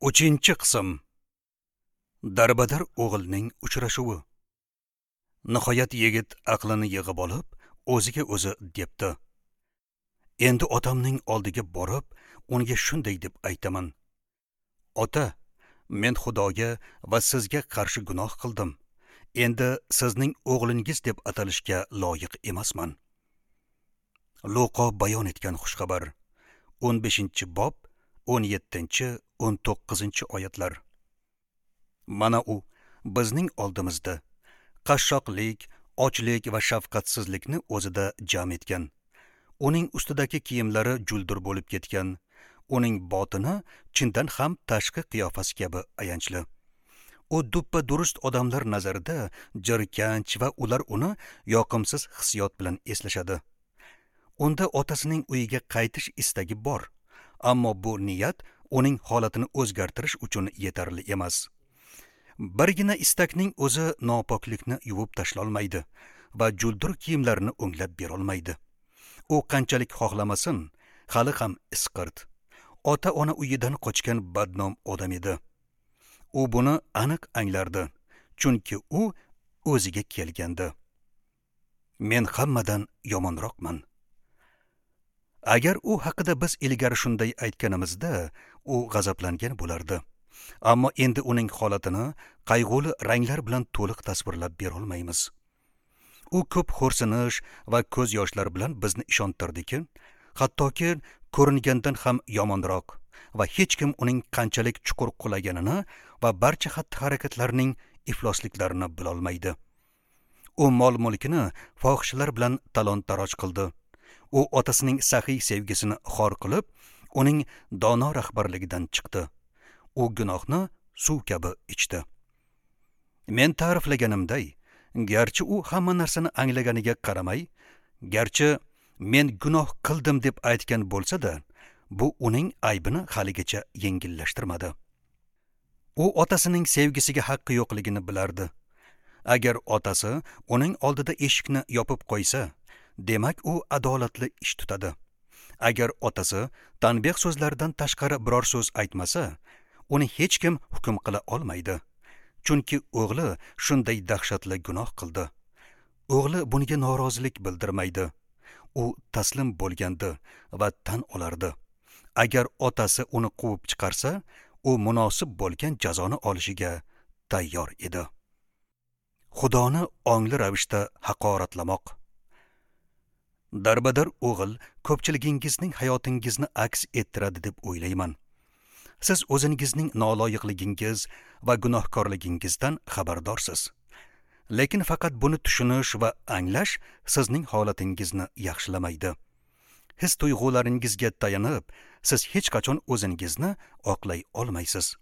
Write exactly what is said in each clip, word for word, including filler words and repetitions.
Uchinchi qism. Darbadar o'g'ilning uchrashuvi. Nihoyat yigit aqlini yig'ib olib, o'ziga o'zi debdi: Endi otamning oldiga borib, unga shunday deb aytaman: Ota, men Xudoga va sizga qarshi gunoh qildim. Endi sizning o'g'lingiz deb atalishga loyiq emasman. Luqo bayon etgan xushxabar, o'n beshinchi bob, o'n yettinchi, o'n to'qqizinchi oyatlar. Mana u bizning oldimizda qashshoqlik, ochlik va shafqatsizlikni o'zida jam etgan. Uning ustidagi kiyimlari juldur bo'lib ketgan. Uning botini chindan ham tashqi qiyofasi kabi ayanchli. U duppa durust odamlar nazarida jirkanch va ular uni yoqimsiz hissiyot bilan eslashadi. Unda otasining uyiga qaytish istagi bor, ammo bu niyat uning holatini o'zgartirish uchun yetarli emas. Birgina istakning o'zi nopoklikni yuvib tashlolmaydi va juldur kiyimlarni o'nglab berolmaydi. U qanchalik xohlamasin, hali ham isqirt. Ota-ona uyidan qochgan badnom odam edi. U buni aniq anglardi, chunki u o'ziga kelgandi. Men hammadan yomonroqman. Agar u haqida biz ilgari shunday aytganimizda, u g'azablangan bo'lardi. Ammo endi uning holatini qayg'uli ranglar bilan to'liq tasvirlab berolmaymiz. U ko'p xo'rsinish va ko'z yoshlar bilan bizni ishontirdiki, hattoki ko'ringandan ham yomonroq va hech kim uning qanchalik chuqur qulaganini va barcha xatti-harakatlarining iflosliklarini bilolmaydi. U mol-mulkini fohishalar bilan talon-taroj qildi. U otasining saxiy sevgisini xor qilib, uning dono rahbarligidan chiqdi. U gunohni suv kabi ichdi. Men ta'riflaganimday, garchi u hamma narsani anglaganiga qaramay, garchi men gunoh qildim deb aytgan bo'lsa-da, bu uning aybini haligacha yengillashtirmadi. U otasining sevgisiga haqqi yo'qligini bilardi. Agar otasi uning oldida eshikni yopib qo'ysa, demak u adolatli ish tutadi. Agar otasi tanbeh so'zlaridan tashqari biror so'z aytmasa, uni hech kim hukm qila olmaydi. Chunki o'g'li shunday dahshatli gunoh qildi. O'g'li bunga norozilik bildirmaydi. U taslim bo'lgandi va tan olardi. Agar otasi uni quvib chiqarsa, u munosib bo'lgan jazoni olishiga tayyor edi. Xudoni ongli ravishda haqoratlamoq. Darbadar o'g'il ko'pchiligingizning hayotingizni aks ettiradi deb o'ylayman. Siz o'zingizning noloyiqligingiz va gunohkorligingizdan xabardorsiz. Lekin faqat buni tushunish va anglash sizning holatingizni yaxshilamaydi. His tuyg'ularingizga tayanib, siz hech qachon o'zingizni oqlay olmaysiz.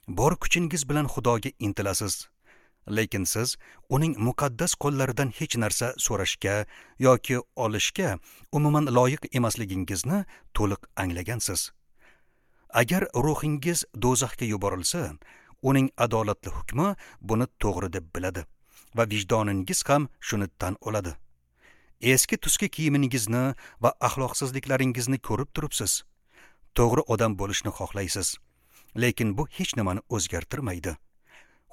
Bor kuchingiz bilan Xudoga intilasiz. Lekin siz uning muqaddas qo'llaridan hech narsa so'rashga yoki olishga umuman loyiq emasligingizni to'liq anglagansiz. Agar ruhingiz do'zaxga yuborilsa, uning adolatli hukmi buni to'g'ri deb biladi va vijdoningiz ham shuni tan oladi. Eski tuski kiyimingizni va axloqsizliklaringizni ko'rib turibsiz. To'g'ri odam bo'lishni xohlaysiz, lekin bu hech nimani o'zgartirmaydi.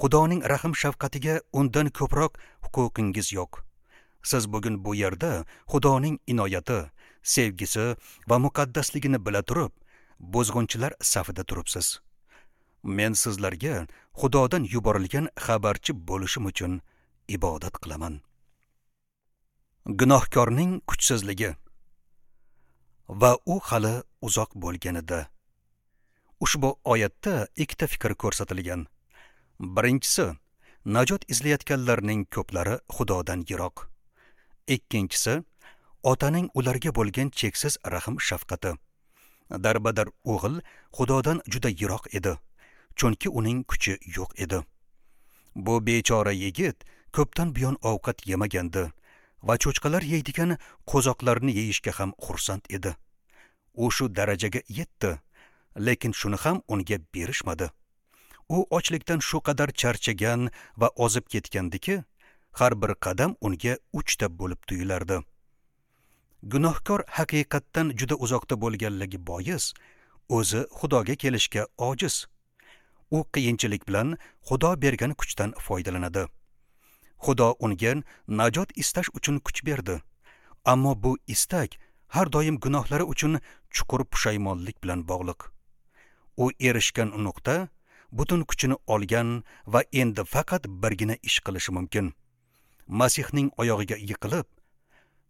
Xudoning rahm shafqatiga undan ko'proq huquqingiz yo'q. Siz bugun bu yerda Xudoning inoyati, sevgisi va muqaddasligini bila turib, buzg'unchilar safida turibsiz. Men sizlarga Xudodan yuborilgan xabarchi bo'lishim uchun ibodat qilaman. Gunohkorning kuchsizligi va u hali uzoq bo'lganida. Ushbu oyatda ikkita fikr ko'rsatilgan. Birinchisi, najot izlayotganlarning ko'plari Xudodan yiroq. Ikkinchisi, otaning ularga bo'lgan cheksiz rahm shafqati. Darbadar o'g'il Xudodan juda yiroq edi, chunki uning kuchi yo'q edi. Bu bechora yigit ko'pdan buyon ovqat yemagandi va cho'chqalar yeydigan qo'zoqlarni yeyishga ham xursand edi. U shu darajaga yetdi, lekin shuni ham unga berishmadi. U ochlikdan shu qadar charchagan va ozib ketgandiki, har bir qadam unga uchta bo'lib tuyulardi. Gunohkor haqiqatdan juda uzoqda bo'lganligi bois, O'zi Xudoga kelishga ojiz. U qiyinchilik bilan Xudo bergan kuchdan foydalanadi. Xudo unga najot istash uchun kuch berdi. Ammo bu istak har doim gunohlari uchun chuqur pushaymonlik bilan bog'liq. U erishgan nuqta butun kuchini olgan va endi faqat birgina ish qilishi mumkin. Masihning oyog'iga yiqilib,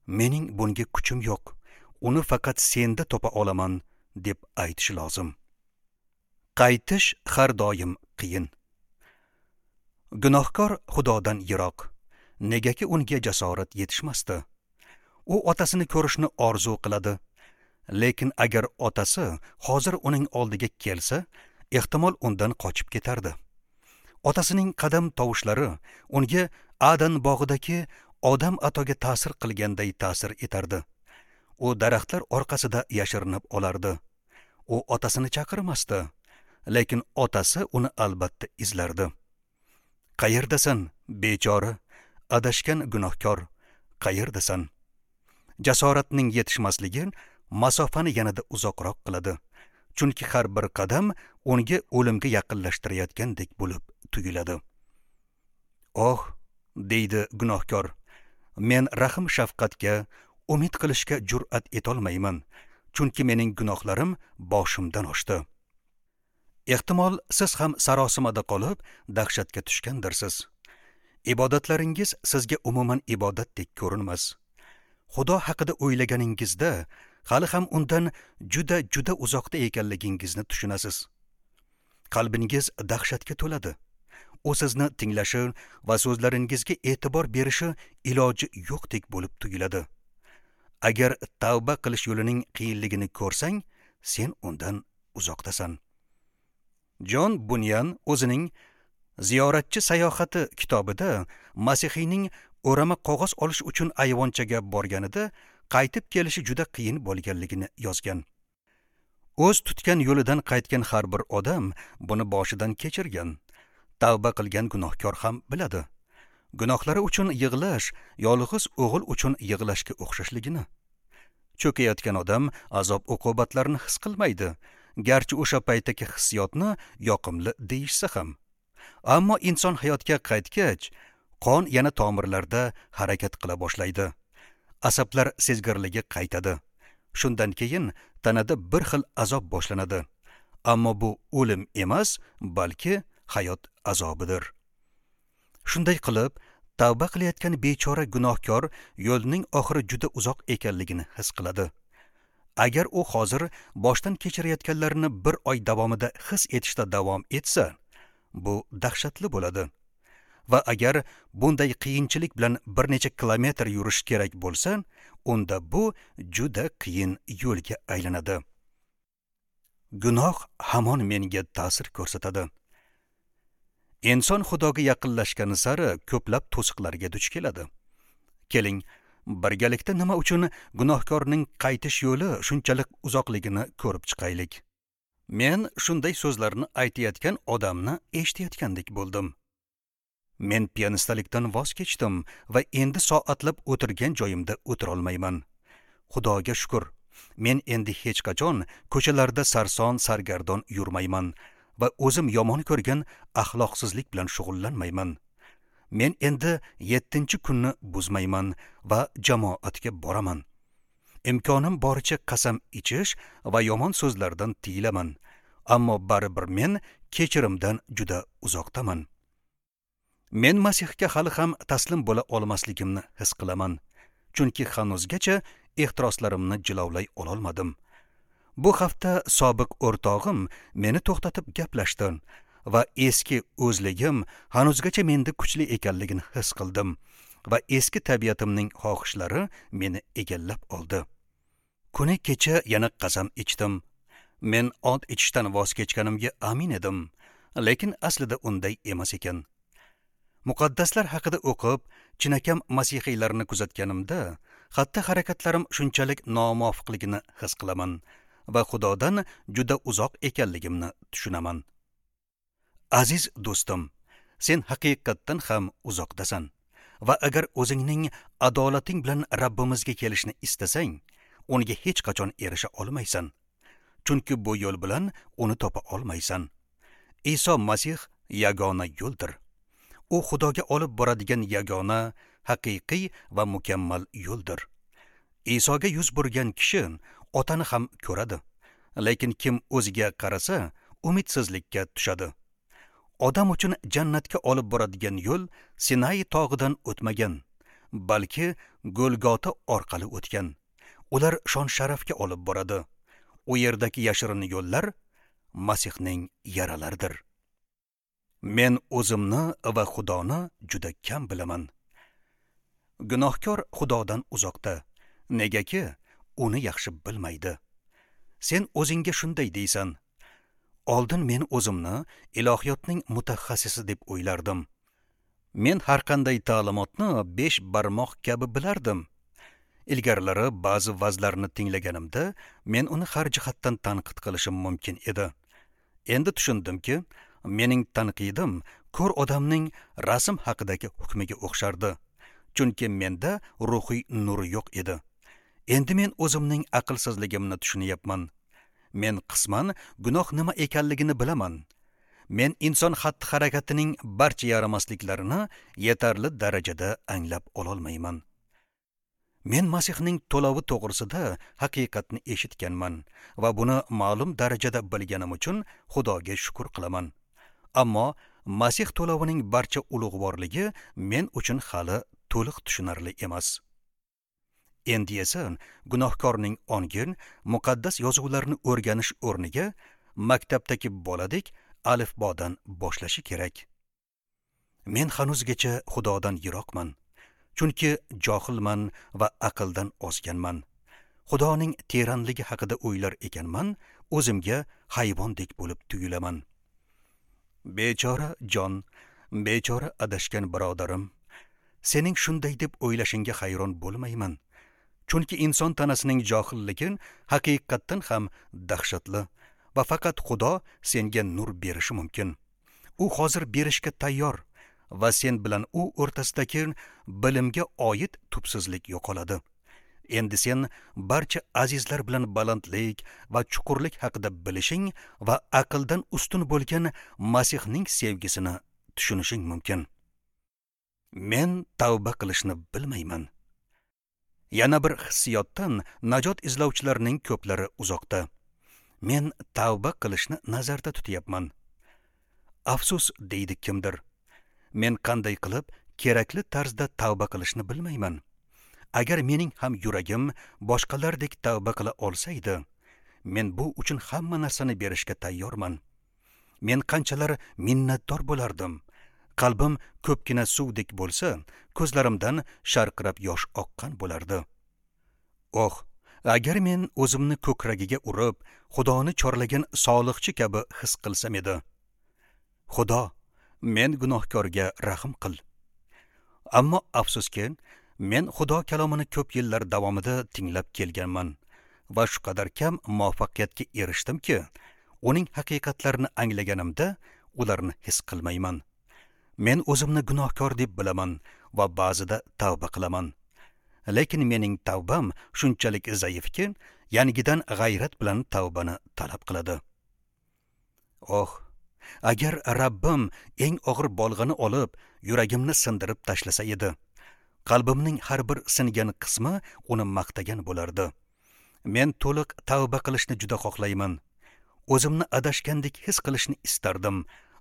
"Mening bunga kuchim yo'q, uni faqat senda topa olaman" deb aytishi lozim. Qaytish har doim qiyin. Gunohkor Xudodan yiroq. Negaki unga jasorat yetishmasdi. U otasini ko'rishni orzu qiladi. Lekin agar otasi hozir uning oldiga kelsa, ehtimol undan qochib ketardi. Otasining qadam tovushlari unga Adan bog'idagi odam atoga ta'sir qilganday ta'sir etardi. U daraxtlar orqasida yashirinib olardi. U otasini chaqirmasdi, lekin otasi uni albatta izlardi. Qayerdasan, bechora, adashgan gunohkor, qayerdasan? Jasoratning yetishmasligi masofani yanada uzoqroq qiladi. Chunki har bir qadam unga o'limga yaqinlashtirayotgandek bo'lib tuyuladi. "Oh", deydi gunohkor, "men rahm shafqatga umid qilishga jur'at etolmayman, chunki mening gunohlarim boshimdan oshdi." Ehtimol siz ham sarosimada qolib, dahshatga tushgandirsiz. Ibodatlaringiz sizga umuman ibodatdek ko'rinmas. Xudo haqida o'ylaganingizda hali ham undan juda juda uzoqda ekanligingizni tushunasiz. Qalbingiz dahshatga to'ladi. U sizni tinglashi va so'zlaringizga e'tibor berishi iloji yo'qdek bo'lib tuyuladi. Agar tavba qilish yo'lining qiyinligini ko'rsang, sen undan uzoqdasan. Jon Bunyan o'zining Ziyoratchi sayohati kitobida Masihiyning o'rama qog'oz olish uchun ayvonchaga borganida qaytib kelishi juda qiyin bo'lganligini yozgan. O'z tutgan yo'lidan qaytgan har bir odam buni boshidan kechirgan. Tavba qilgan gunohkor ham biladi. Gunohlari uchun yig'lash yolg'iz o'g'il uchun yig'lashga o'xshashligini. Cho'kayotgan odam azob uqubatlarini his qilmaydi, garchi o'sha paytdagi hissiyotni yoqimli deyishsa ham. Ammo inson hayotga qaytgach, qon yana tomirlarda harakat qila boshlaydi. Asablar sezgirligi qaytadi. Shundan keyin tanada bir xil azob boshlanadi. Ammo bu o'lim emas, balki hayot azobidir. Shunday qilib, tavba qilayotgan bechora gunohkor yo'lning oxiri juda uzoq ekanligini his qiladi. Agar u hozir boshdan kechirayotganlarini bir oy davomida his etishda davom etsa, bu dahshatli bo'ladi. Va agar bunday qiyinchilik bilan bir necha kilometr yurish kerak bo'lsa, unda bu juda qiyin yo'lga aylanadi. Gunoh hamon menga ta'sir ko'rsatadi. Inson Xudoga yaqinlashgani sari ko'plab to'siqlarga duch keladi. Keling, birgalikda nima uchun gunohkorning qaytish yo'li shunchalik uzoqligini ko'rib chiqaylik. Men shunday so'zlarni aytayotgan odamni eshitayotgandek bo'ldim. Men pianistalikdan voz kechdim va endi soatlab o'tirgan joyimda o'tira olmayman. Xudoga shukr, men endi hech qachon ko'chalarda sarson sargardon yurmayman va o'zim yomon ko'rgan axloqsizlik bilan shug'ullanmayman. Men endi yettinchi kunni buzmayman va jamoatga boraman. Imkonim boricha qasam ichish va yomon so'zlardan tiyilaman. Ammo baribir men kechirimdan juda uzoqdaman. Men Masihga hali ham taslim bo'la olmasligimni his qilaman, chunki hanuzgacha ehtiroslarimni jilovlay ololmadim. Bu hafta sobiq o'rtog'im meni to'xtatib gaplashdi va eski o'zligim hanuzgacha menda kuchli ekanligini his qildim va eski tabiatimning xohishlari meni egallab oldi. Kuni kecha yana qasam ichdim. Men ont ichishdan voz kechganimga amin edim, lekin aslida unday emas ekan. Muqaddaslar haqida o'qib, chinakam masihiylarni kuzatganimda, xatti harakatlarim shunchalik nomuvofiqligini his qilaman va Xudodan juda uzoq ekanligimni tushunaman. Aziz do'stim, sen haqiqatdan ham uzoqdasan va agar o'zingning adolating bilan Rabbimizga kelishni istasang, unga hech qachon erisha olmaysan. Chunki bu yo'l bilan uni topa olmaysan. Iso Masih yagona yo'ldir. U Xudoga olib boradigan yagona, haqiqiy va mukammal yo'ldir. Isoga yuz burgan kishi otani ham ko'radi. Lekin kim o'ziga qarasa, umidsizlikka tushadi. Odam uchun jannatga olib boradigan yo'l Sinay tog'idan o'tmagan, balki Golgota orqali o'tgan. Ular shon-sharafga olib boradi. U yerdagi yashirin yo'llar Masihning yaralaridir. Men o'zimni va Xudoni juda kam bilaman. Gunohkor Xudodan uzoqda, negaki uni yaxshi bilmaydi. Sen o'zingga shunday deysan: oldin men o'zimni ilohiyotning mutaxassisi deb o'ylardim. Men har qanday ta'limotni besh barmoq kabi bilardim. Ilgarilari ba'zi vazlarni tinglaganimda men uni har jihatdan tanqid qilishim mumkin edi. Endi tushundimki, mening tanqidim ko'r odamning rasm haqidagi hukmiga o'xshardi. Chunki menda ruhiy nur yo'q edi. Endi men o'zimning aqlsizligimni tushunyapman. Men qisman gunoh nima ekanligini bilaman. Men inson xatti-harakatining barcha yaramasliklarini yetarli darajada anglab ololmayman. Men Masihning to'lovi to'g'risida haqiqatni eshitganman va buni ma'lum darajada bilganim uchun Xudoga shukr qilaman. Ammo Masih to'lovining barcha ulug'vorligi men uchun hali to'liq tushunarli emas. Endi esa gunohkorning ongi muqaddas yozuvlarni o'rganish o'rniga maktabdagi boladek alifbodan boshlashi kerak. Men hanuzgacha Xudodan yiroqman, chunki johilman va aqldan ozganman. Xudoning teranligi haqida o'ylar ekanman, o'zimga hayvondek bo'lib tuyulaman. Bechora jon, bechora adashgan birodarim, sening shunday deb o'ylashingga hayron bo'lmayman. Chunki inson tanasining johilligi haqiqatdan ham dahshatli va faqat Xudo senga nur berishi mumkin. U hozir berishga tayyor va sen bilan u o'rtasidagi bilimga oid tubsizlik yo'qoladi. Endi sen barcha azizlar bilan balandlik va chuqurlik haqida bilishing va aqldan ustun bo'lgan Masihning sevgisini tushunishing mumkin. Men tavba qilishni bilmayman. Yana bir hissiyotdan najot izlovchilarning ko'plari uzoqda. Men tavba qilishni nazarda tutyapman. Afsus, deydi kimdir. Men qanday qilib kerakli tarzda tavba qilishni bilmayman. Agar mening ham yuragim boshqalardek tavba qila olsaydi, men bu uchun hamma narsani berishga tayyorman. Men qanchalar minnatdor bo'lardim. Qalbim ko'pgina suvdek bo'lsa, ko'zlarimdan sharqirab yosh oqqan bo'lardi. Oh, agar men o'zimni ko'kragiga urib, Xudoni chorlagan soliqchi kabi his qilsam edi. Xudo, men gunohkorga rahm qil. Ammo afsuski, men Xudo kalomini ko'p yillar davomida tinglab kelganman va shu qadar kam muvaffaqiyatga erishdimki, uning haqiqatlarini anglaganimda ularni his qilmayman. Men o'zimni gunohkor deb bilaman va ba'zida tavba qilaman. Lekin mening tavbam shunchalik zaifki, yangidan g'ayrat bilan tavbani talab qiladi. Oh, agar Rabbim eng og'ir bolg'ani olib, yuragimni sindirib tashlasa edi. Qalbimning har bir singan qismi uni maqtagan bo'lardi. Men to'liq tavba qilishni juda xohlayman. O'zimni adashgandek his qilishni istardim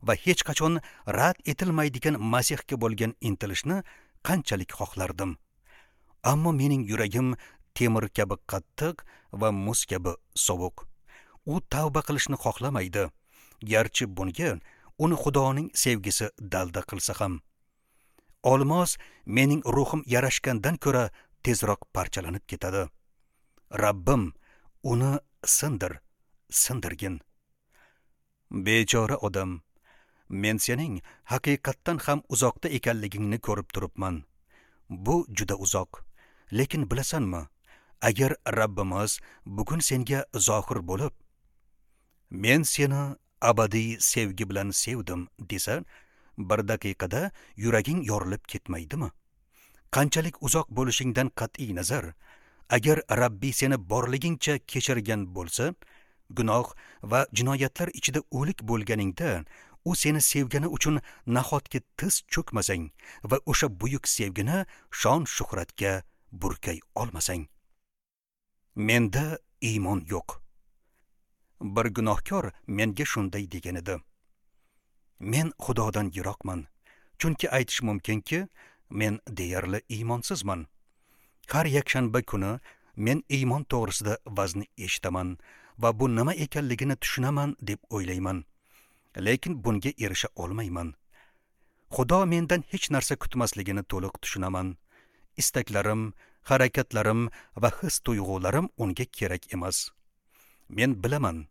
va hech qachon rad etilmaydigan Masihga bo'lgan intilishni qanchalik xohlardim. Ammo mening yuragim temir kabi qattiq va muz kabi sovuq. U tavba qilishni xohlamaydi, garchi bunga uni Xudoning sevgisi dalda qilsa ham. Olmos mening ruhim yarashgandan ko'ra tezroq parchalanib ketadi. Rabbim, uni sindir, sindirgin. Bechora odam, men sening haqiqatdan ham uzoqda ekanligingni ko'rib turibman. Bu juda uzoq. Lekin bilasanmi, agar Rabbimiz bugun senga zohir bo'lib, men seni abadiy sevgi bilan sevdim desa, bir daqiqada yuraging yorilib ketmaydimi? Qanchalik uzoq bo'lishingdan qat'iy nazar, agar Rabbi seni borligingcha kechirgan bo'lsa, Gunoh va jinoyatlar ichida o'lik bo'lganingda, u seni sevgani uchun nahotki tiz cho'kmasang va o'sha buyuk sevgini shon shuhratga burkay olmasang. Menda iymon yo'q. Bir gunohkor menga shunday degan edi. Men Xudodan yiroqman, chunki aytish mumkinki, men deyarli iymonsizman. Har yakshanba kuni men iymon to'g'risida vazni eshitaman va bu nima ekanligini tushunaman deb o'ylayman. Lekin bunga erisha olmayman. Xudo mendan hech narsa kutmasligini to'liq tushunaman. Istaklarim, harakatlarim va his tuyg'ularim unga kerak emas. Men bilaman,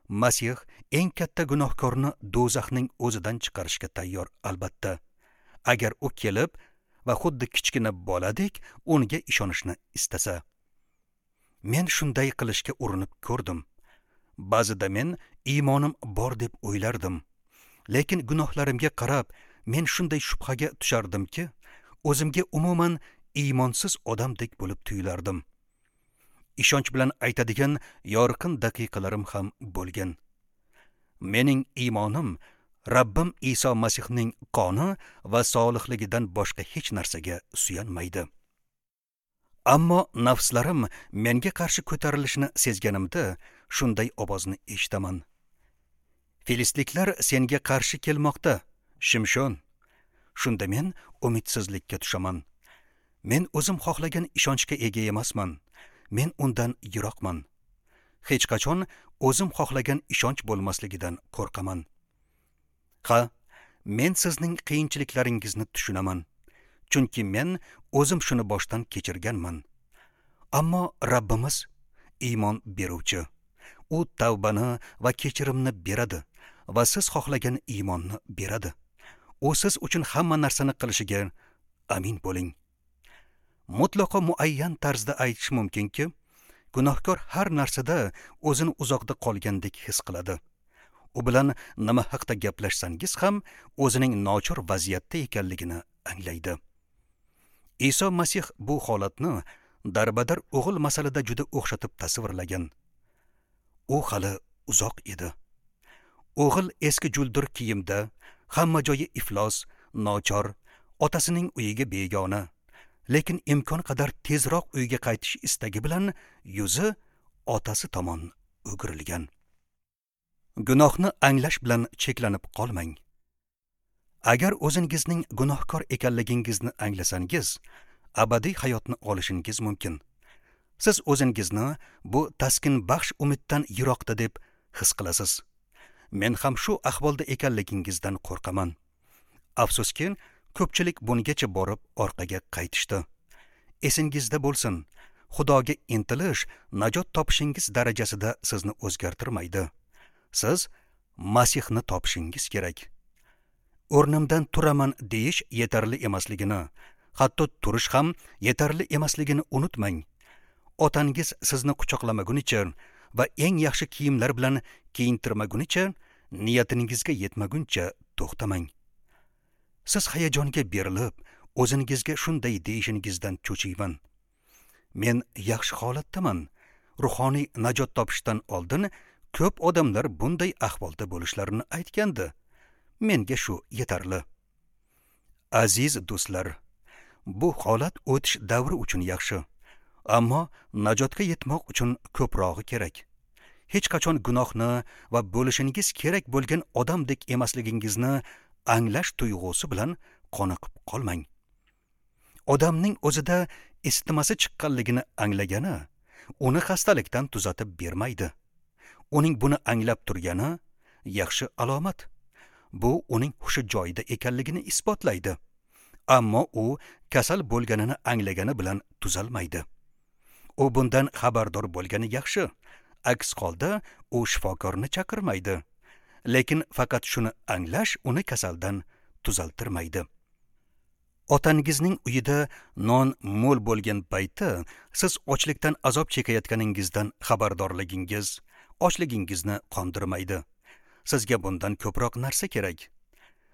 Masih eng katta gunohkorni do'zaxning o'zidan chiqarishga tayyor albatta. Agar u kelib va xuddi kichkina boladek unga ishonishni istasa. Men shunday qilishga urinib ko'rdim. Ba'zida men iymonim bor deb o'ylardim. Lekin gunohlarimga qarab men shunday shubhaga tushardimki, o'zimga umuman iymonsiz odamdek bo'lib tuyulardim. Ishonch bilan aytadigan yorqin daqiqalarim ham bo'lgan. Mening iymonim Rabbim Iso Masihning qoni va solihligidan boshqa hech narsaga suyanmaydi. Ammo nafslarim menga qarshi ko'tarilishini sezganimda shunday ovozni eshitaman. Filistliklar senga qarshi kelmoqda, Shimshon. Shunda men umidsizlikka tushaman. Men o'zim xohlagan ishonchga ega emasman. Men undan yiroqman. Hech qachon o'zim xohlagan ishonch bo'lmasligidan qo'rqaman. Ha, men sizning qiyinchiliklaringizni tushunaman. Chunki men o'zim shuni boshdan kechirganman. Ammo Rabbimiz iymon beruvchi. U tavbani va kechirimni beradi va siz xohlagan iymonni beradi. U siz uchun hamma narsani qilishiga amin bo'ling. Mutlaqo muayyan tarzda aytish mumkinki, gunohkor har narsada o'zini uzoqda qolgandek his qiladi. U bilan nima haqda gaplashsangiz ham o'zining nochor vaziyatda ekanligini anglaydi. Iso Masih bu holatni darbadar o'g'il masalada juda o'xshatib tasvirlagan. U hali uzoq edi. O'g'il eski juldur kiyimda, hamma joyi iflos, nochor, otasining uyiga begona, lekin imkon qadar tezroq uyga qaytish istagi bilan yuzi otasi tomon o'girilgan. Gunohni anglash bilan cheklanib qolmang. Agar o'zingizning gunohkor ekanligingizni anglasangiz, abadiy hayotni olishingiz mumkin. Siz o'zingizni bu taskinbaxsh umiddan yiroqda deb his qilasiz. Men ham shu ahvolda ekanligingizdan qo'rqaman. Afsuski, ko'pchilik bungacha borib orqaga qaytishdi. Esingizda bo'lsin, Xudoga intilish najot topishingiz darajasida sizni o'zgartirmaydi. Siz Masihni topishingiz kerak. O'rnimdan turaman deyish yetarli emasligini, hatto turish ham yetarli emasligini unutmang. Otangiz sizni quchoqlamagunicha va eng yaxshi kiyimlar bilan kiyintirmagunicha, niyatingizga yetmaguncha to'xtamang. Siz hayajonga berilib, o'zingizga shunday deyishingizdan cho'chiyman. Men yaxshi holatdaman. Ruhoniy najot topishdan oldin ko'p odamlar bunday ahvolda bo'lishlarini aytgandi. Menga shu yetarli. Aziz do'stlar, bu holat o'tish davri uchun yaxshi, ammo najotga yetmoq uchun ko'prog'i kerak. Hech qachon gunohni va bo'lishingiz kerak bo'lgan odamdek emasligingizni anglash tuyg'usi bilan qoniqib qolmang. Odamning o'zida isitmasi chiqqanligini anglagani uni xastalikdan tuzatib bermaydi. Uning buni anglab turgani yaxshi alomat. Bu uning hushi joyida ekanligini isbotlaydi. Ammo u kasal bo'lganini anglagani bilan tuzalmaydi. U bundan xabardor bo'lgani yaxshi. Aks holda u shifokorni chaqirmaydi. Lekin faqat shuni anglash uni kasaldan tuzaltirmaydi. Otangizning uyida non mo'l bo'lgan payti siz ochlikdan azob chekayotganingizdan xabardorligingiz ochligingizni qondirmaydi. Sizga bundan ko'proq narsa kerak.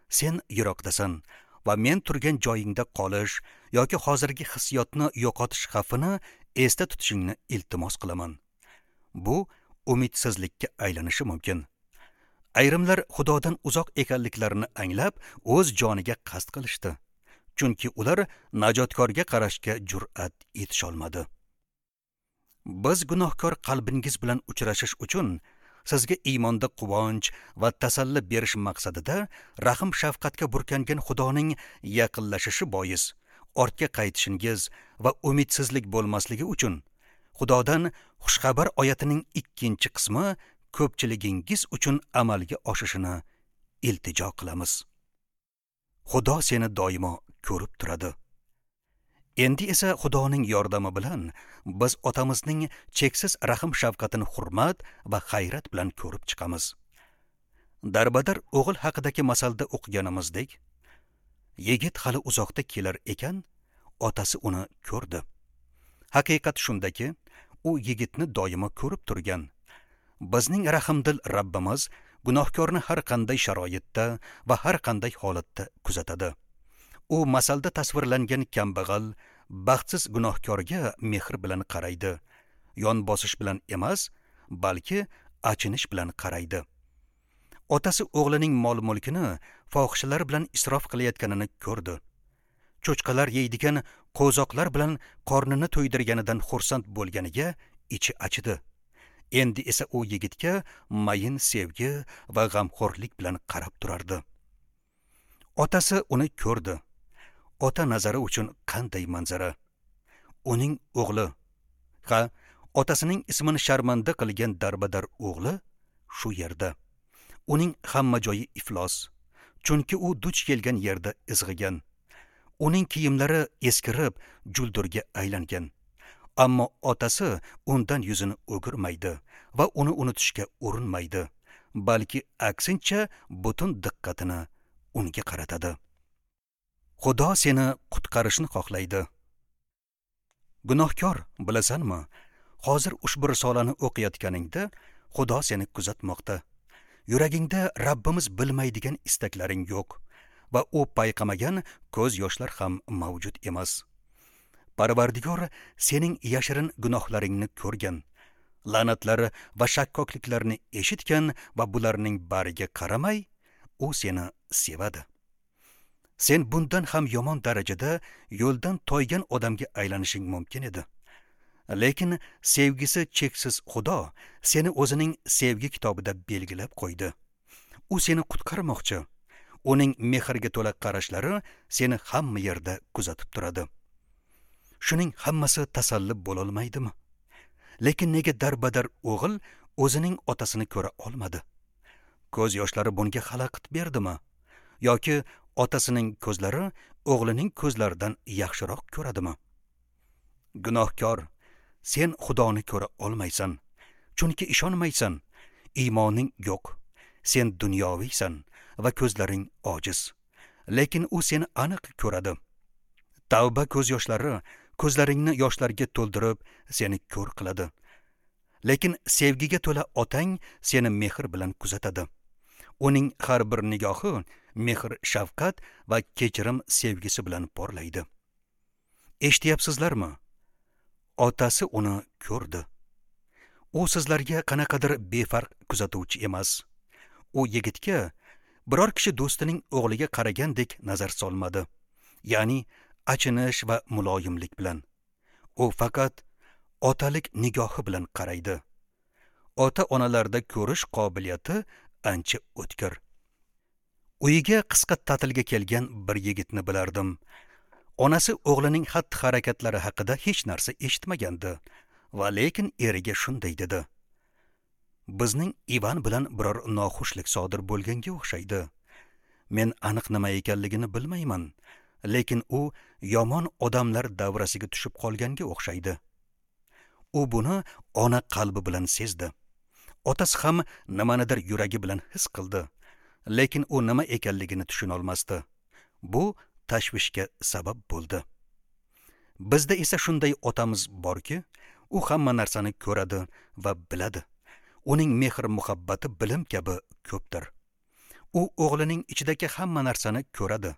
Sen yiroqdasan va men turgan joyingda qolish yoki hozirgi hissiyotni yo'qotish xavfini esda tutishingni iltimos qilaman. Bu umidsizlikka aylanishi mumkin. Ayrimlar Xudodan uzoq ekanliklarini anglab, o'z joniga qasd qilishdi. Chunki ular najotkorga qarashga jur'at etisholmadi. Biz gunohkor qalbingiz bilan uchrashish uchun sizga iymonda quvonch va tasalli berish maqsadida rahm shafqatga burkangan Xudoning yaqinlashishi bois ortga qaytishingiz va umidsizlik bo'lmasligi uchun Xudodan xushxabar oyatining ikkinchi qismi ko'pchiligingiz uchun amalga oshishini iltijo qilamiz. Xudo seni doimo ko'rib turadi. Endi esa Xudoning yordami bilan biz otamizning cheksiz rahm shafqatini hurmat va hayrat bilan ko'rib chiqamiz. Darbadar o'g'il haqidagi masalda o'qiganimizdek, yigit hali uzoqda kelar ekan, otasi uni ko'rdi. Haqiqat shundaki, u yigitni doimo ko'rib turgan. Bizning rahimdil Rabbimiz gunohkorni har qanday sharoitda va har qanday holatda kuzatadi. U masalda tasvirlangan kambag'al, baxtsiz gunohkorga mehr bilan qaraydi. Yon bosish bilan emas, balki achinish bilan qaraydi. Otasi o'g'lining mol-mulkini fohishalar bilan isrof qilayotganini ko'rdi. Cho'chqalar yeydigan qo'zoqlar bilan qornini to'ydirganidan xursand bo'lganiga ichi achidi. Endi esa u yigitga mayin sevgi va g'amxo'rlik bilan qarab turardi. Otasi uni ko'rdi. Ota nazari uchun qanday manzara! Uning o'g'li, ha, otasining ismini sharmanda qilgan darbadar o'g'li shu yerda. Uning hamma joyi iflos, chunki u duch kelgan yerda izg'igan. Uning kiyimlari eskirib, juldurga aylangan. Ammo otasi undan yuzini o'girmaydi va uni unutishga urinmaydi, balki aksincha butun diqqatini unga qaratadi. Xudo seni qutqarishni xohlaydi. Gunohkor, bilasanmi? Hozir ushbu risolani o'qiyotganingda Xudo seni kuzatmoqda. Yuragingda Rabbimiz bilmaydigan istaklaring yo'q va u payqamagan ko'z yoshlar ham mavjud emas. Parvardigor sening yashirin gunohlaringni ko'rgan, la'natlar va shakkokliklarni eshitgan va bularning bariga qaramay, u seni sevadi. Sen bundan ham yomon darajada yo'ldan toygan odamga aylanishing mumkin edi. Lekin sevgisi cheksiz Xudo seni o'zining sevgi kitobida belgilab qo'ydi. U seni qutqarmoqchi. Uning mehrga to'la qarashlari seni hamma yerda kuzatib turadi. Shuning hammasi tasalli bo'lolmaydimi? Lekin nega darbadar o'g'il o'zining otasini ko'ra olmadi? Ko'z yoshlari bunga xalaqit berdimi? Yoki otasining ko'zlari o'g'lining ko'zlaridan yaxshiroq ko'radimi? Gunohkor, sen Xudoni ko'ra olmaysan, chunki ishonmaysan, iymoning yo'q. Sen dunyoviysan va ko'zlaring ojiz. Lekin u seni aniq ko'radi. Tavba ko'z yoshlari ko'zlaringni yoshlarga to'ldirib, seni ko'r qiladi. Lekin sevgiga to'la otang seni mehr bilan kuzatadi. Uning har bir nigohi mehr, shafqat va kechirim sevgisi bilan porlaydi. Eshityapsizlarmi? Otasi uni ko'rdi. U sizlarga qanaqadir befarq kuzatuvchi emas. U yigitga biror kishi do'stining o'g'liga qaragandek nazar solmadi. Ya'ni achinish va muloyimlik bilan. U faqat otalik nigohi bilan qaraydi. Ota-onalarda ko'rish qobiliyati ancha o'tkir. Uyiga qisqa ta'tilga kelgan bir yigitni bilardim. Onasi o'g'lining xatti-harakatlari haqida hech narsa eshitmagandi va lekin eriga shunday dedi: "Bizning Ivan bilan biror noxushlik sodir bo'lganga o'xshaydi. Men aniq nima ekanligini bilmayman, lekin u yomon odamlar davrasiga tushib qolganga o'xshaydi." U buni ona qalbi bilan sezdi. Otasi ham nimanidir yuragi bilan his qildi, lekin u nima ekanligini tushuna olmasdi. Bu tashvishga sabab bo'ldi. Bizda esa shunday otamiz borki, u hamma narsani ko'radi va biladi. Uning mehr-muhabbati bilim kabi ko'pdir. U o'g'lining ichidagi hamma narsani ko'radi.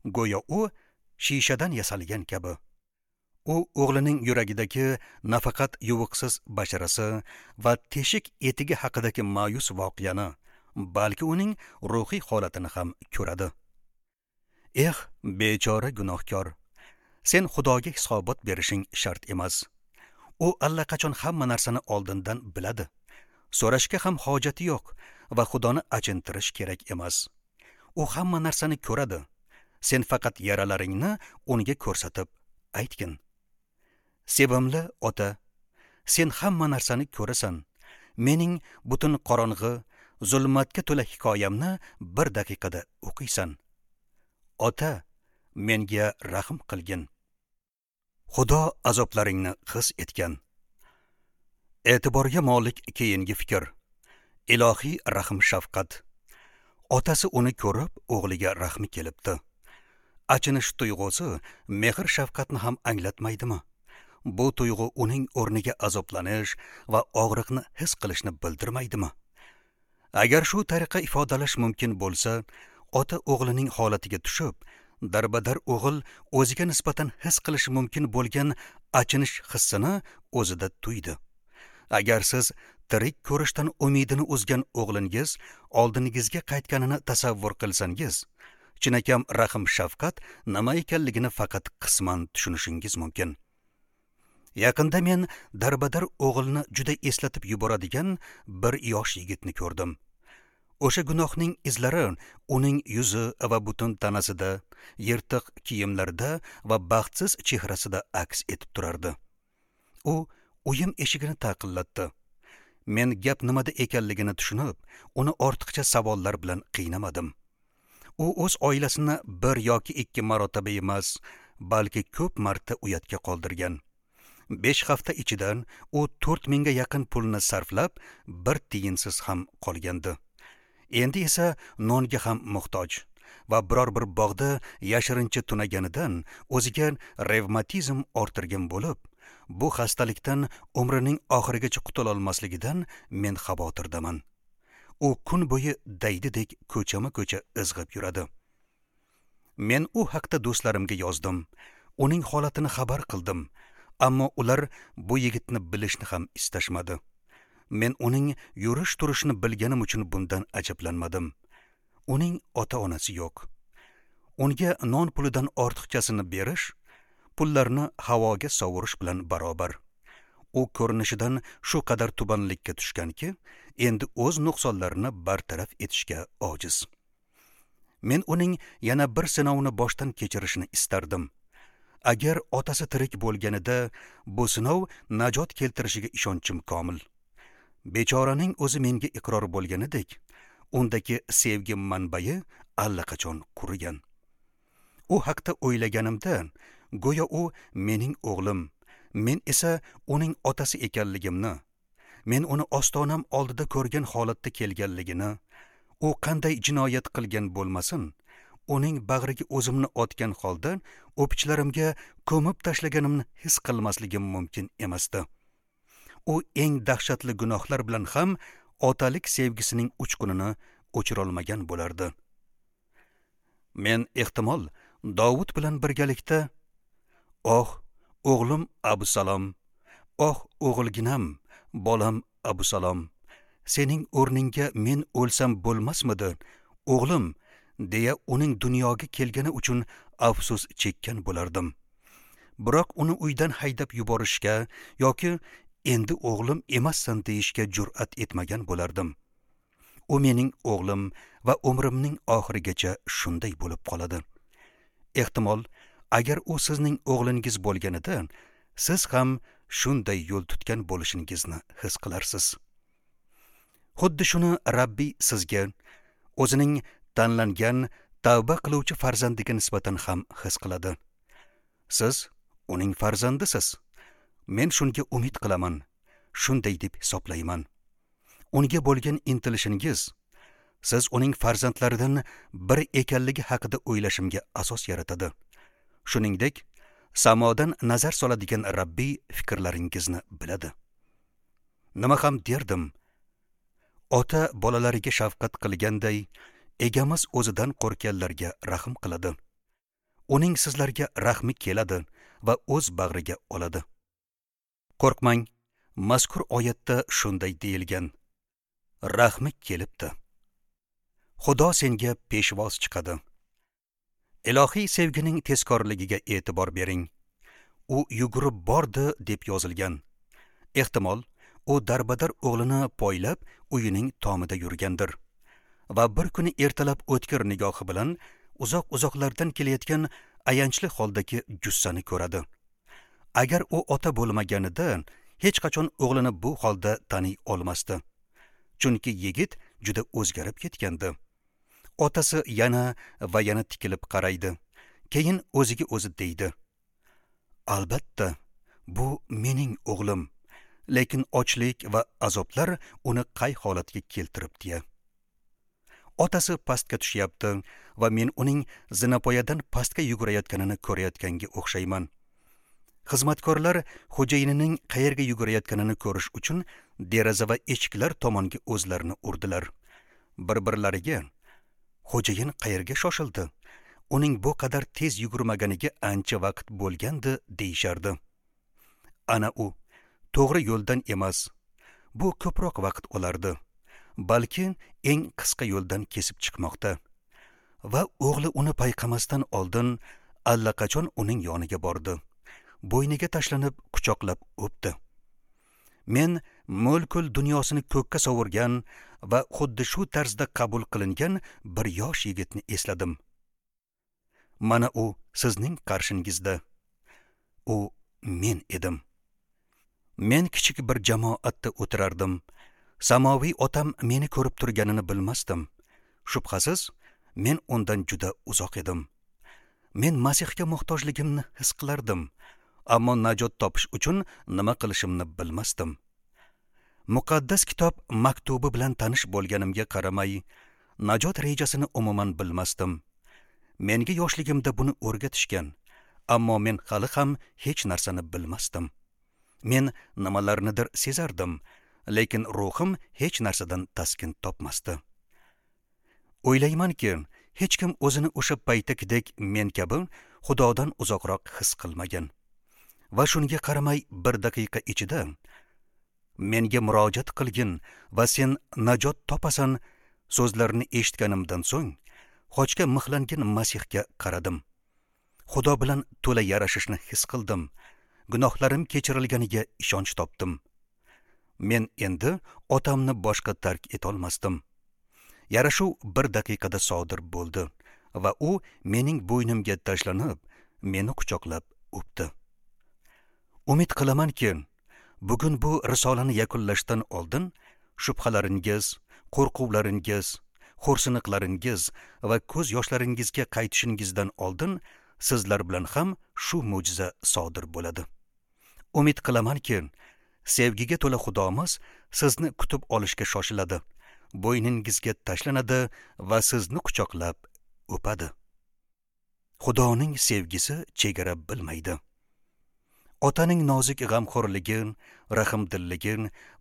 Go'yo u shishadan yasalgan kabi. U o'g'lining yuragidagi nafaqat yuvuqsiz basharasi va teshik etigi haqidagi ma'yus voqeani, balki uning ruhiy holatini ham ko'radi. Eh, bechora gunohkor, sen Xudoga hisobot berishing shart emas. U allaqachon hamma narsani oldindan biladi. So'rashga ham hojati yo'q va Xudoni achintirish kerak emas. U hamma narsani ko'radi. Sen faqat yaralaringni unga ko'rsatib aytgin. Sevimli ota, sen hamma narsani ko'rasan. Mening butun qorong'i, zulmatga to'la hikoyamni bir daqiqada o'qiysan. Ota, menga rahm qilgin. Xudo azoblaringni his etgan. E'tiborga molik keyingi fikr. Ilohiy rahm shafqat. Otasi uni ko'rib, o'g'liga rahmi kelibdi. Achinish tuyg'usi mehr shafqatni ham anglatmaydimi? Bu tuyg'u uning o'rniga azoblanish va og'riqni his qilishni bildirmaydimi? Agar shu tariqa ifodalash mumkin bo'lsa, ota o'g'lining holatiga tushib, darbadar o'g'il o'ziga nisbatan his qilishi mumkin bo'lgan achinish hissini o'zida tuydi. Agar siz tirik ko'rishdan umidini uzgan o'g'lingiz oldingizga qaytganini tasavvur qilsangiz, chinakam rahm shafqat nima ekanligini faqat qisman tushunishingiz mumkin. Yaqinda men darbadar o'g'ilni juda eslatib yuboradigan bir yosh yigitni ko'rdim. O'sha gunohning izlari uning yuzi va butun tanasida, yirtiq kiyimlarida va baxtsiz chehrasida aks etib turardi. U uyim eshigini taqillatdi. Men gap nimada ekanligini tushunib, uni ortiqcha savollar bilan qiynamadim. U o'z oilasini bir yoki ikki marotaba emas, balki ko'p marta uyatga qoldirgan. Besh hafta ichidan u to'rt mingga yaqin pulni sarflab, bir tiyinsiz ham qolgandi. Endi esa nonga ham muhtoj va biror bir bog'da yashirincha tunaganidan o'ziga revmatizm orttirgan bo'lib, bu xastalikdan umrining oxirigacha qutula olmasligidan men xavotirdaman. U kun bo'yi daydidek ko'chama-ko'cha izg'ib yuradi. Men u haqda do'stlarimga yozdim, uning holatini xabar qildim, ammo ular bu yigitni bilishni ham istashmadi. Men uning yurish turishini bilganim uchun bundan ajablanmadim. Uning ota-onasi yo'q. Unga non pulidan ortiqchasini berish, pullarni havoga sovurish bilan barobar. U ko'rinishidan shu qadar tubanlikka tushganki, endi o'z nuqsonlarini bartaraf etishga ojiz. Men uning yana bir sinovni boshdan kechirishini istardim. Agar otasi tirik bo'lganida, bu sinov najot keltirishiga ishonchim komil. Bechoraning o'zi menga iqror bo'lganidek, undagi sevgi manbai allaqachon qurigan. U haqda o'ylaganimda, go'yo u mening o'g'lim, men esa uning otasi ekanligimni, men uni ostonam oldida ko'rgan holatda kelganligini, u qanday jinoyat qilgan bo'lmasin, uning bag'riga o'zimni otgan holda o'pichlarimga ko'mib tashlaganimni his qilmasligim mumkin emasdi. U eng dahshatli gunohlar bilan ham otalik sevgisining uchqunini o'chirolmagan bo'lardi. Men ehtimol Dovud bilan birgalikda, "Oh, o'g'lim Abusalom, oh o'g'ilginam, bolam Abusalom, sening o'rningga men o'lsam bo'lmasmidi, o'g'lim?" deya uning dunyoga kelgani uchun afsus chekkan bo'lardim. Biroq uni uydan haydab yuborishga yoki endi o'g'lim emassan deyishga jur'at etmagan bo'lardim. U mening o'g'lim va umrimning oxirigacha shunday bo'lib qoladi. Ehtimol, agar u sizning o'g'lingiz bo'lganida, siz ham shunday yo'l tutgan bo'lishingizni his qilarsiz. Xuddi shuni Rabbi sizga, o'zining tanlangan, tavba qiluvchi farzandiga nisbatan ham his qiladi. Siz uning farzandisiz. Men shunga umid qilaman, shunday deb hisoblayman. Unga bo'lgan intilishingiz, siz uning farzandlaridan biri ekanligi haqida o'ylashimga asos yaratadi. Shuningdek, samodan nazar soladigan Rabbi fikrlaringizni biladi. Nima ham derdim? Ota bolalariga shafqat qilganday, egamiz o'zidan qo'rqganlarga rahm qiladi. Uning sizlarga rahmi keladi va o'z bag'riga oladi. Qo'rqmang, mazkur oyatda shunday deyilgan: Rahmi kelibdi. Xudo senga peshvoz chiqadi. Ilohiy sevgining tezkorligiga e'tibor bering. U yugurib bordi deb yozilgan. Ehtimol, u darbadar o'g'lini poylab uyining tomida yurgandir. Va bir kuni ertalab o'tkir nigohi bilan uzoq-uzoqlardan kelayotgan ayanchli holdagi jussani ko'radi. Agar u ota bo'lmaganida, hech qachon o'g'lini bu holda taniy olmasdi. Chunki yigit juda o'zgarib ketgandi. Otasi yana va yana tikilib qaraydi. Keyin o'ziga o'zi deydi: Albatta, bu mening o'g'lim, lekin ochlik va azoblar uni qay holatga keltiribdi. Otasi pastga tushyapti va men uning zinapoyadan pastga yugurayotganini ko'rayotganga o'xshayman. Xizmatkorlar xo'jayinining qayerga yugurayotganini ko'rish uchun deraza va eshiklar tomonga o'zlarini urdilar. Bir-birlariga: "Xo'jayin qayerga shoshildi? Uning bu qadar tez yugurmaganiga ancha vaqt bo'lgandi" deyishardi. Ana u to'g'ri yo'ldan emas, bu ko'proq vaqt olardi, balki eng qisqa yo'ldan kesib chiqmoqda. Va o'g'li uni payqamasdan oldin allaqachon uning yoniga bordi. Bo'yniga tashlanib quchoqlab o'pdi. Men mo'lkul dunyosini ko'kka sovurgan va xuddi shu tarzda qabul qilingan bir yosh yigitni esladim. Mana u sizning qarshingizda. U men edim. Men kichik bir jamoatda o'tirardim. Samoviy otam meni ko'rib turganini bilmasdim. Shubhasiz, men undan juda uzoq edim. Men Masihga muhtojligimni his qilardim, ammo najot topish uchun nima qilishimni bilmasdim. Muqaddas kitob maktubi bilan tanish bo'lganimga qaramay, najot rejasini umuman bilmasdim. Menga yoshligimda buni o'rgatishgan, ammo men hali ham hech narsani bilmasdim. Men nimalarnidir sezardim, lekin ruhim hech narsadan taskin topmasdi. O'ylaymanki, hech kim o'zini o'sha paytdagidek men kabi Xudodan uzoqroq his qilmagan. Va shunga qaramay bir daqiqa ichida menga murojaat qilgin va sen najot topasan so'zlarini eshitganimdan so'ng xochga mixlangan Masihga qaradim. Xudo bilan to'la yarashishni his qildim. Gunohlarim kechirilganiga ishonch topdim. Men endi otamni boshqa tark etolmasdim. Yarashuv bir daqiqada sodir bo'ldi va u mening bo'ynimga tashlanib, meni quchoqlab o'pdi. Umid qilamanki, bugun bu risolani yakunlashdan oldin shubhalaringiz, qo'rquvlaringiz, xo'rsiniqlaringiz va ko'z yoshlaringizga qaytishingizdan oldin sizlar bilan ham shu mo'jiza sodir bo'ladi. Umid qilamanki, sevgiga to'la Xudomiz sizni kutib olishga shoshiladi, bo'yningizga tashlanadi va sizni quchoqlab o'padi. Xudoning sevgisi chegara bilmaydi. Otaning nozik g'amxo'rligi, rahmdilligi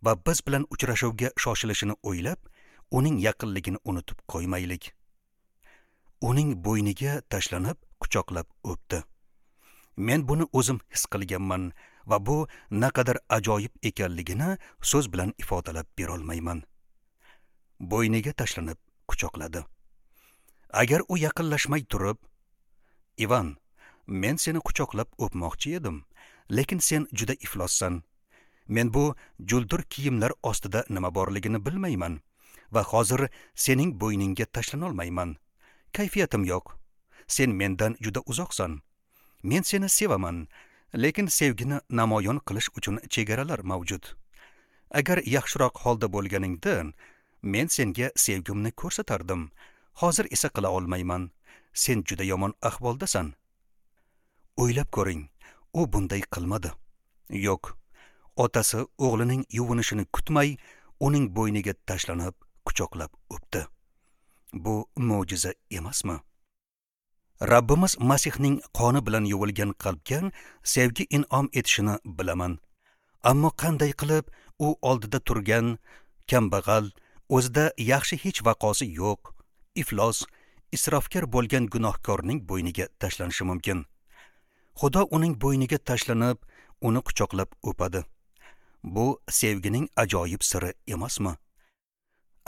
va biz bilan uchrashuvga shoshilishini o'ylab, uning yaqinligini unutib qo'ymaylik. Uning bo'yniga tashlanib, quchoqlab o'pdi. Men buni o'zim his qilganman va bu naqadar ajoyib ekanligini so'z bilan ifodalab bera olmayman. Bo'yniga tashlanib quchoqladi. Agar u yaqinlashmay turib, "Ivan, men seni quchoqlab o'pmoqchi edim, lekin sen juda iflossan. Men bu juldur kiyimlar ostida nima borligini bilmayman va hozir sening bo'yningga tashlana olmayman. Kayfiyatim yo'q. Sen mendan juda uzoqsan. Men seni sevaman, lekin sevgini namoyon qilish uchun chegaralar mavjud. Agar yaxshiroq holda bo'lganingda, men senga sevgimni ko'rsatardim. Hozir esa qila olmayman. Sen juda yomon ahvoldasan." O'ylab ko'ring, u bunday qilmadi. Yo'q, otasi o'g'lining yuvinishini kutmay, uning bo'yniga tashlanib, quchoqlab o'pdi. Bu mo'jiza emasmi? Rabbimiz Masihning qoni bilan yuvilgan qalbga sevgi in'om etishini bilaman. Ammo qanday qilib u oldida turgan kambag'al, o'zida yaxshi hech vaqosi yo'q, iflos, isrofkor bo'lgan gunohkorning bo'yniga tashlanishi mumkin? Xudo uning bo'yniga tashlanib, uni quchoqlab o'padi. Bu sevgining ajoyib siri emasmi?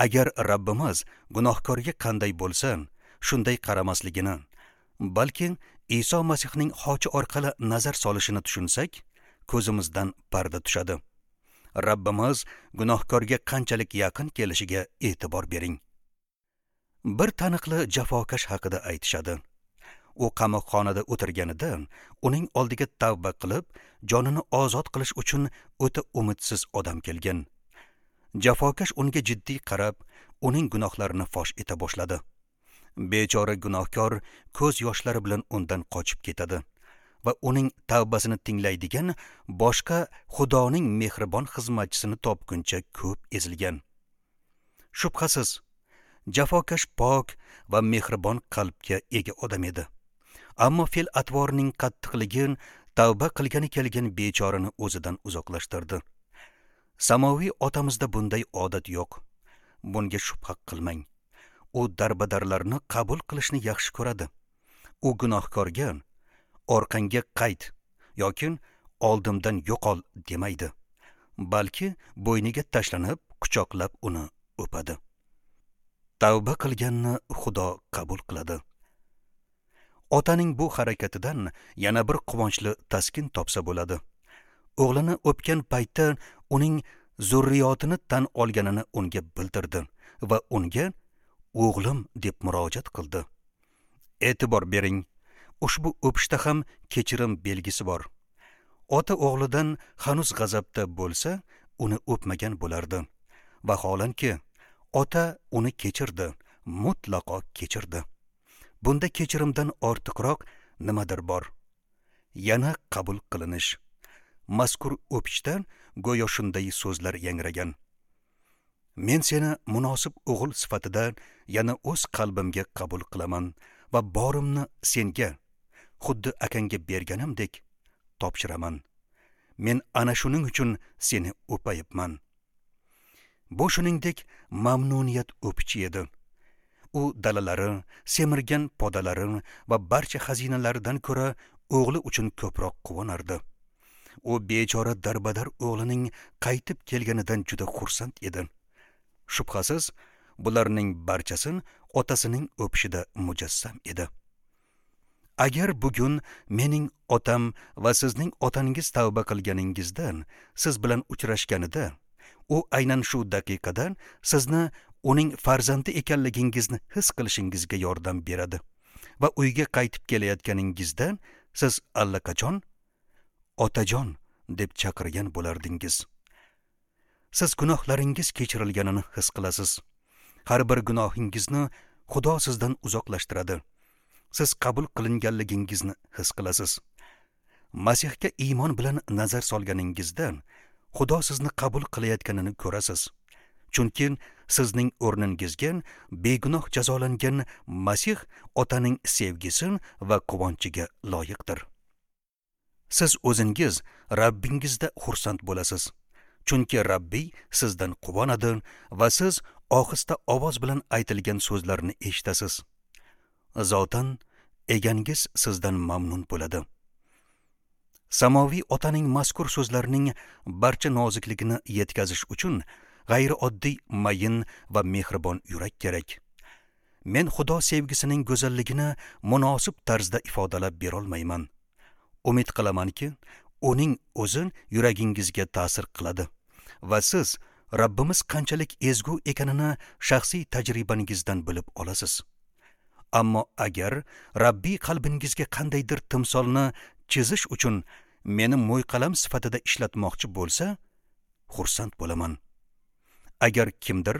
Agar Rabbimiz gunohkorga qanday bo'lsa, shunday qaramasligini, balki Iso Masihning xochi orqali nazar solishini tushunsak, ko'zimizdan parda tushadi. Rabbimiz gunohkorga qanchalik yaqin kelishiga e'tibor bering. Bir taniqli jafokash haqida aytishadi. U qamoqxonada o'tirganida uning oldiga tavba qilib, jonini ozod qilish uchun o'ta umidsiz odam kelgan. Jafokash unga jiddiy qarab, uning gunohlarini fosh eta boshladi. Bechora gunohkor ko'z yoshlari bilan undan qochib ketadi va uning tavbasini tinglaydigan boshqa Xudoning mehribon xizmatchisini topguncha ko'p ezilgan. Shubhasiz, jafokash pok va mehribon qalbga ega odam edi. Ammo fe'l-atvorning qattiqligi tavba qilgani kelgan bechorani o'zidan uzoqlashtirdi. Samoviy otamizda bunday odat yo'q. Bunga shubha qilmang. U darbadarlarni qabul qilishni yaxshi ko'radi. U gunohkorga orqangga qayt yoki oldimdan yo'qol demaydi, balki bo'yniga tashlanib, quchoqlab uni o'padi. Tavba qilganni Xudo qabul qiladi. Otaning bu harakatidan yana bir quvonchli taskin topsa bo'ladi. O'g'lini o'pgan paytda uning zurriyotini tan olganini unga bildirdi va unga o'g'lim deb murojaat qildi. E'tibor bering, ushbu o'pishda ham kechirim belgisi bor. Ota o'g'lidan hanuz g'azabda bo'lsa, uni o'pmagan bo'lardi. Vaholanki, ota uni kechirdi, mutlaqo kechirdi. Bunda kechirimdan ortiqroq nimadir bor. Yana qabul qilinish. Mazkur o'pishdan go'yo shunday so'zlar yangragan. Men seni munosib o'g'il sifatida yana o'z qalbimga qabul qilaman va borimni senga, xuddi akangga berganimdek topshiraman. Men ana shuning uchun seni o'payapman. Bu shuningdek mamnuniyat o'pichi edi. U dalalari, semirgan podalari va barcha xazinalaridan ko'ra o'g'li uchun ko'proq quvonardi. U bechora darbadar o'g'lining qaytib kelganidan juda xursand edi. Shubhasiz, bularning barchasi otasining o'pishida mujassam edi. Agar bugun mening otam va sizning otangiz tavba qilganingizdan siz bilan uchrashganida, u aynan shu daqiqada sizni uning farzandi ekanligingizni his qilishingizga yordam beradi va uyga qaytib kelayotganingizda siz allaqachon otajon deb chaqirgan bo'lardingiz. Siz gunohlaringiz kechirilganini his qilasiz. Har bir gunohingizni Xudo sizdan uzoqlashtiradi. Siz qabul qilinganligingizni his qilasiz. Masihga iymon bilan nazar solganingizda Xudo sizni qabul qilayotganini ko'rasiz. Chunki sizning o'rningizga begunoh jazolangan Masih otaning sevgisi va quvonchiga loyiqdir. Siz o'zingiz Rabbingizda xursand bo'lasiz. Chunki Rabbiy sizdan quvonadi va siz ohista ovoz bilan aytilgan so'zlarni eshitasiz. Zotan egangiz sizdan mamnun bo'ladi. Samoviy otaning mazkur so'zlarining barcha nozikligini yetkazish uchun g'ayrioddiy mayin va mehribon yurak kerak. Men Xudo sevgisining go'zalligini munosib tarzda ifodalab bera olmayman. Umid qilamanki, uning o'zi yuragingizga ta'sir qiladi va siz Rabbimiz qanchalik ezgu ekanini shaxsiy tajribangizdan bilib olasiz. Ammo agar Rabbiy qalbingizga qandaydir timsolni chizish uchun meni mo'yqalam sifatida ishlatmoqchi bo'lsa, xursand bo'laman. Agar kimdir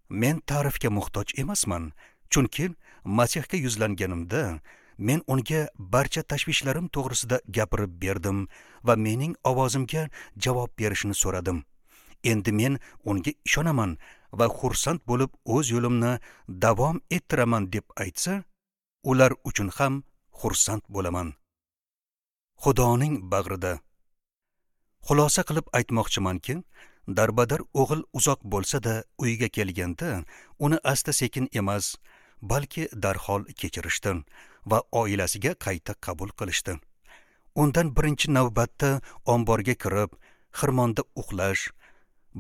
men ta'rifga muhtoj emasman, chunki Masihga yuzlanganimda men unga barcha tashvishlarim to'g'risida gapirib berdim va mening ovozimga javob berishini so'radim. Endi men unga ishonaman va xursand bo'lib o'z yo'limni davom ettiraman deb aytsa, ular uchun ham xursand bo'laman. Xudoning bag'rida. Xulosa qilib aytmoqchimanki, darbadar o'g'il uzoq bo'lsa-da uyga kelganda uni asta-sekin emas, balki darhol kechirishdi va oilasiga qayta qabul qilishdi. Undan birinchi navbatda omborga kirib, xirmonda uxlash,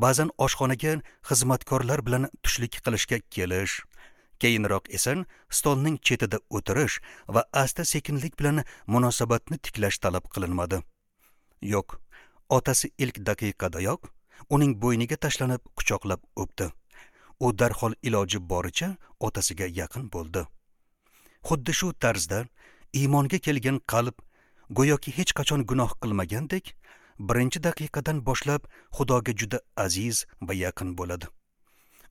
ba'zan oshxonaga xizmatkorlar bilan tushlik qilishga kelish, keyinroq esa stolning chetida o'tirish va asta-sekinlik bilan munosabatni tiklash talab qilinmadi. Yo'q, otasi ilk daqiqadayoq uning bo'yniga tashlanib quchoqlab o'pdi. U darhol iloji boricha otasiga yaqin bo'ldi. Xuddi shu tarzda iymonga kelgan qalb go'yoki hech qachon gunoh qilmagandek, birinchi daqiqadan boshlab Xudoga juda aziz va yaqin bo'ladi.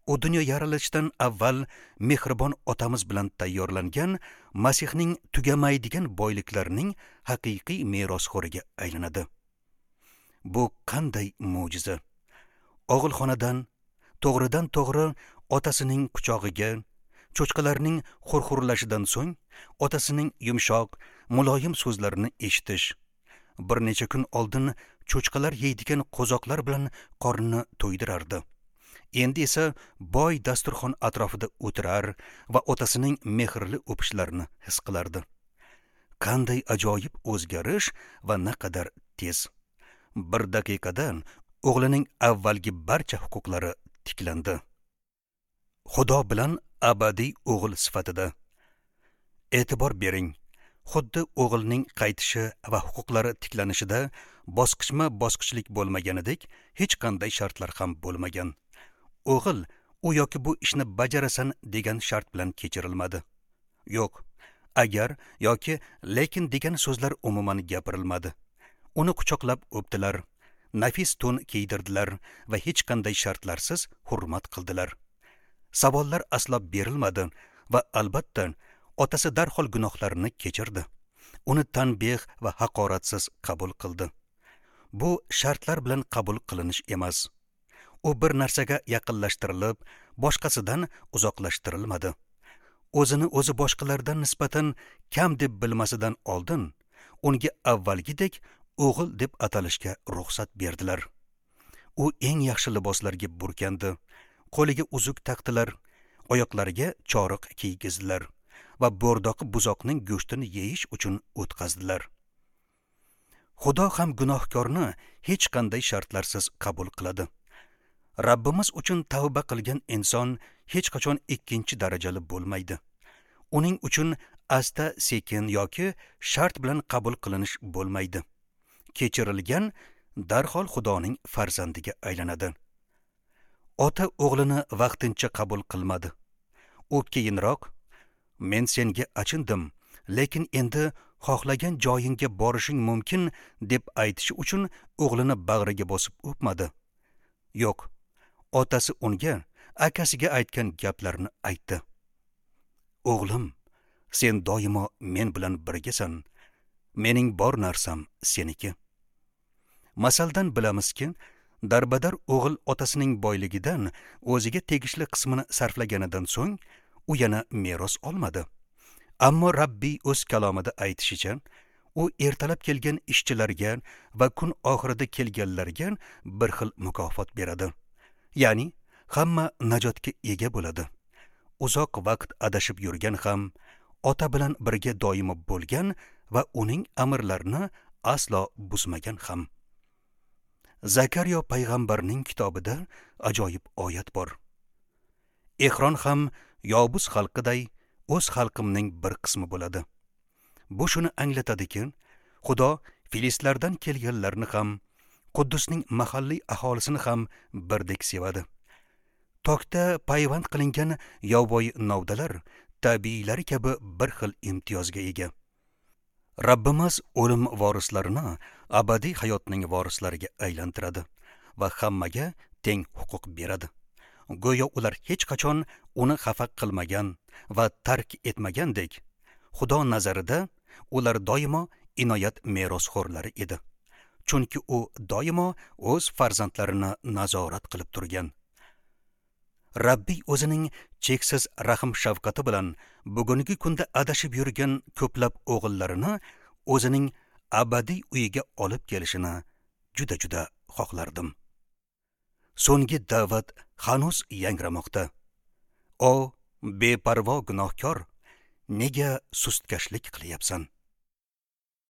U dunyo yaralishidan avval mehribon otamiz bilan tayyorlangan Masihning tugamaydigan boyliklarining haqiqiy merosxo'riga aylanadi. Bu qanday mo'jiza! Og'ilxonadan to'g'ridan to'g'ri otasining quchog'iga, cho'chqalarning xurxurlashidan so'ng otasining yumshoq, muloyim so'zlarini eshitish, bir necha kun oldin cho'chqalar yeydigan qo'zoqlar bilan qornini to'ydirardi. Endi esa boy dasturxon atrofida o'tirar va otasining mehrli o'pishlarini his qilardi. Qanday ajoyib o'zgarish va naqadar tez! Bir daqiqadan o'g'lining avvalgi barcha huquqlari tiklandi. Xudo bilan abadiy o'g'il sifatida. E'tibor bering, xuddi o'g'ilning qaytishi va huquqlari tiklanishida bosqichma-bosqichlik bo'lmaganidek, hech qanday shartlar ham bo'lmagan. O'g'il u yoki bu ishni bajarasan degan shart bilan kechirilmadi. Yo'q, agar yoki lekin degan so'zlar umuman gapirilmadi. Uni quchoqlab o'pdilar, nafis to'n kiydirdilar va hech qanday shartlarsiz hurmat qildilar. Savollar aslo berilmadi va albatta otasi darhol gunohlarini kechirdi. Uni tanbeh va haqoratsiz qabul qildi. Bu shartlar bilan qabul qilinish emas. U bir narsaga yaqinlashtirilib, boshqasidan uzoqlashtirilmadi. O'zini o'zi boshqalardan nisbatan kam deb bilmasidan oldin unga avvalgidek o'g'il deb atalishga ruxsat berdilar. U eng yaxshi liboslarga burkandi, qo'liga uzuk taqdilar, oyoqlariga choriq kiygizdilar va bo'rdoqi buzoqning go'shtini yeyish uchun o'tqazdilar. Xudo ham gunohkorni hech qanday shartlarsiz qabul qiladi. Rabbimiz uchun tavba qilgan inson hech qachon ikkinchi darajali bo'lmaydi. Uning uchun asta sekin yoki shart bilan qabul qilinish bo'lmaydi. Kechirilgan darhol Xudoning farzandiga aylanadi. Ota o'g'lini vaqtincha qabul qilmadi. U keyinroq, men senga achindim, lekin endi xohlagan joyingga borishing mumkin deb aytishi uchun o'g'lini bag'riga bosib o'pmadi. Yo'q, otasi unga akasiga aytgan gaplarni aytdi. O'g'lim, sen doimo men bilan birgasan. Mening bor narsam seniki. Masaldan bilamizki, darbadar o'g'il otasining boyligidan o'ziga tegishli qismini sarflaganidan so'ng u yana meros olmadi. Ammo Rabbiy o'z kalomida aytishicha, u ertalab kelgan ishchilarga va kun oxirida kelganlarga bir xil mukofot beradi. Ya'ni hamma najotga ega bo'ladi. Uzoq vaqt adashib yurgan ham, ota bilan birga doimo bo'lgan va uning amrlarini aslo buzmagan ham. Zakariyo payg'ambarning kitobida ajoyib oyat bor. Ehron ham Yobus xalqiday o'z xalqimning bir qismi bo'ladi. Bu shuni anglatadiki, Xudo filistlardan kelganlarni ham, Quddusning mahalliy aholisini ham birdek sevadi. Tokda payvand qilingan yovvoyi novdalar tabiiylari kabi bir xil imtiyozga ega. Rabbimiz o'lim vorislarini abadiy hayotning vorislariga aylantiradi va hammaga teng huquq beradi. Go'yo ular hech qachon uni xafa qilmagan va tark etmagandek, Xudo nazarida ular doimo inoyat merosxo'rlari edi. Chunki u doimo o'z farzandlarini nazorat qilib turgan. Rabbiy o'zining cheksiz rahm shafqati bilan bugungi kunda adashib yurgan ko'plab o'g'illarini o'zining abadiy uyiga olib kelishini juda-juda xohlardim. So'nggi da'vat hanuz yangramoqda. O beparvo gunohkor, nega sustkashlik qilyapsan?